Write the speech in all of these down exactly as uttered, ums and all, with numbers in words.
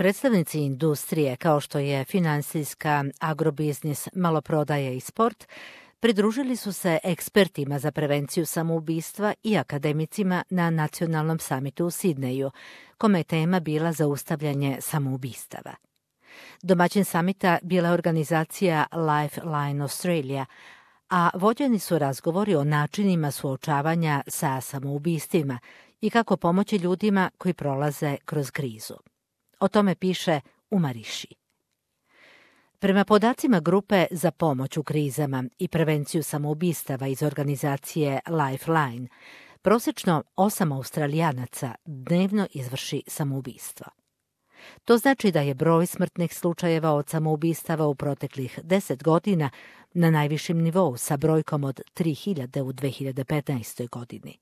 Predstavnici industrije, kao što je finansijska, agrobiznis, maloprodaja i sport, pridružili su se ekspertima za prevenciju samoubistva i akademicima na nacionalnom samitu u Sidneju, kome je tema bila zaustavljanje samoubistava. Domaćin samita bila je organizacija Lifeline Australia, a vođeni su razgovori o načinima suočavanja sa samoubistvima i kako pomoći ljudima koji prolaze kroz krizu. O tome piše u Mariši. Prema podacima grupe za pomoć u krizama i prevenciju samoubistava iz organizacije Lifeline, prosječno osam Australijanaca dnevno izvrši samoubistvo. To znači da je broj smrtnih slučajeva od samoubistava u proteklih deset godina na najvišem nivou sa brojkom od tri hiljade u dve hiljade petnaestoj. godini.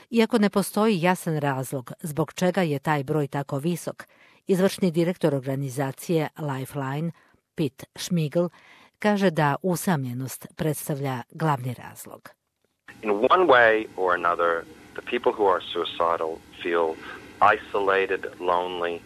Iako ne postoji jasan razlog zbog čega je taj broj tako visok, izvršni direktor organizacije Lifeline, Pete Schmigel, kaže da usamljenost predstavlja glavni razlog. In one way or another, the people who are suicidal feel isolated, lonely.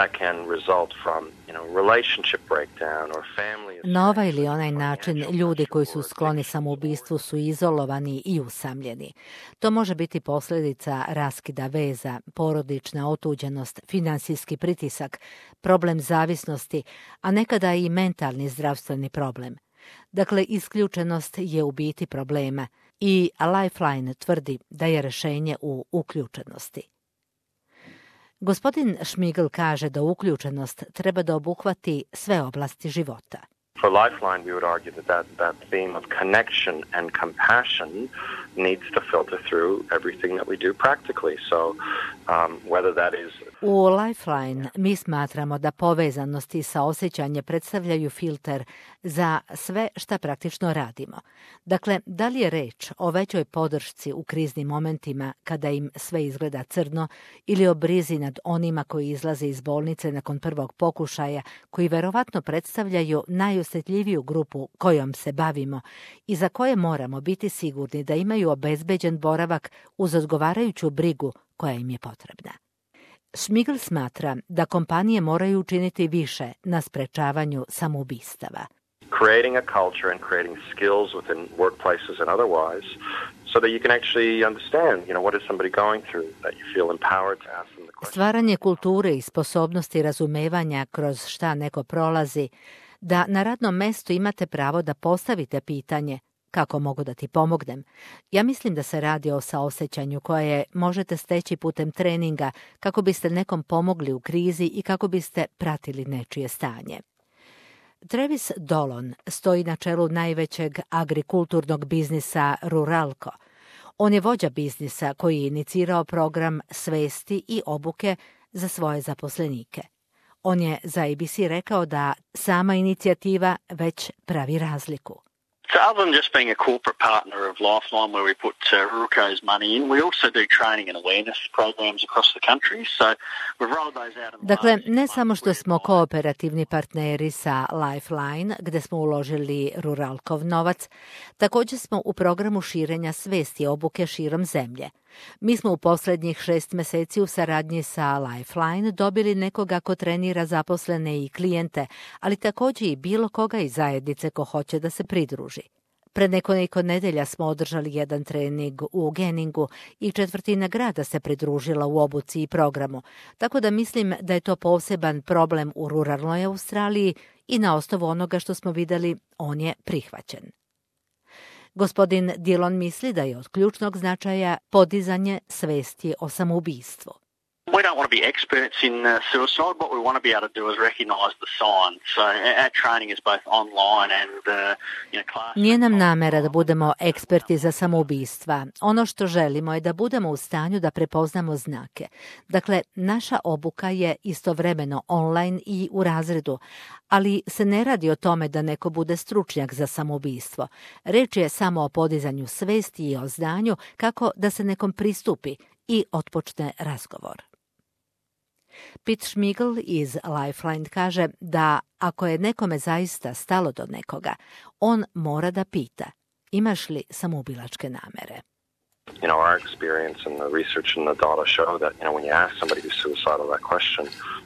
That can result from, you know, relationship breakdown or family. Na ovaj ili onaj način ljudi koji su skloni samoubistvu su izolovani i usamljeni. To može biti posljedica raskida veza, porodična otuđenost, finansijski pritisak, problem zavisnosti, a nekada i mentalni zdravstveni problem. Dakle, isključenost je u biti problema i Lifeline tvrdi da je rješenje u uključenosti. Gospodin Schmigel kaže da uključenost treba da obuhvati sve oblasti života. For Lifeline, we would argue that, that that theme of connection and compassion needs to filter through everything that we do practically. So, um, whether that is... U Lifeline mi smatramo da povezanost i saosjećanje predstavljaju filter za sve šta praktično radimo. Dakle, da li je reč o većoj podršci u kriznim momentima kada im sve izgleda crno ili o brizi nad onima koji izlaze iz bolnice nakon prvog pokušaja, koji verovatno predstavljaju najosjetljiviju grupu kojom se bavimo i za koje moramo biti sigurni da imaju obezbeđen boravak uz odgovarajuću brigu koja im je potrebna. Schmigel smatra da kompanije moraju učiniti više na sprečavanju samoubistava. Creating a culture and creating skills within workplaces and otherwise so that you can actually understand, you know, what is somebody going through, that you feel empowered to ask them the question. Stvaranje kulture i sposobnosti razumevanja kroz šta neko prolazi, da na radnom mestu imate pravo da postavite pitanje kako mogu da ti pomognem. Ja mislim da se radi o saosjećanju koje možete steći putem treninga kako biste nekom pomogli u krizi i kako biste pratili nečije stanje. Travis Dolan stoji na čelu najvećeg agrikulturnog biznisa Ruralco. On je vođa biznisa koji je inicirao program svesti i obuke za svoje zaposlenike. On je za A B C rekao da sama inicijativa već pravi razliku. So other than just being a corporate partner of Lifeline where we put uh, Ruralco's money in, we also do training and awareness programs across the country. So we've rolled those out. Dakle, ne samo što smo kooperativni partneri sa Lifeline, gde smo uložili Ruralkov novac, također smo u programu širenja svesti obuke širom zemlje. Mi smo u posljednjih šest mjeseci u saradnji sa Lifeline dobili nekoga ko trenira zaposlene i klijente, ali također i bilo koga iz zajednice ko hoće da se pridruži. Pred nekoliko nedelja smo održali jedan trening u Geningu i četvrtina grada se pridružila u obuci i programu, tako da mislim da je to poseban problem u ruralnoj Australiji i na osnovu onoga što smo vidjeli, on je prihvaćen. Gospodin Dillon misli da je od ključnog značaja podizanje svesti o samoubistvu. We don't want to be experts in uh, suicide. What we want to be able to do is recognize the signs. So our training is both online and uh, you know, class. Nije nam namera da budemo eksperti za samoubistva. Ono što želimo je da budemo u stanju da prepoznamo znake. Dakle, naša obuka je istovremeno online i u razredu, ali se ne radi o tome da neko bude stručnjak za samoubistvo. Reč je samo o podizanju svesti i o znanju kako da se nekom pristupi i otpočne razgovor. Pete Schmigel iz Lifeline kaže da ako je nekome zaista stalo do nekoga, on mora da pita imaš li samoubilačke namere. you know, our experience and the research and the data show that, you know, when you ask somebody who's suicidal that question,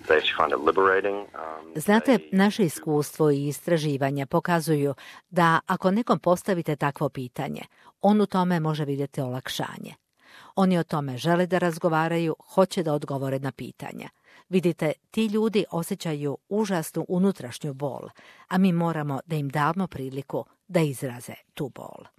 they actually find it liberating. Um, Znate, they... naše iskustvo i istraživanja pokazuju da ako nekom postavite takvo pitanje, on u tome može vidjeti olakšanje. Oni o tome žele da razgovaraju, hoće da odgovore na pitanja. Vidite, ti ljudi osjećaju užasnu unutrašnju bol, a mi moramo da im damo priliku da izraze tu bol.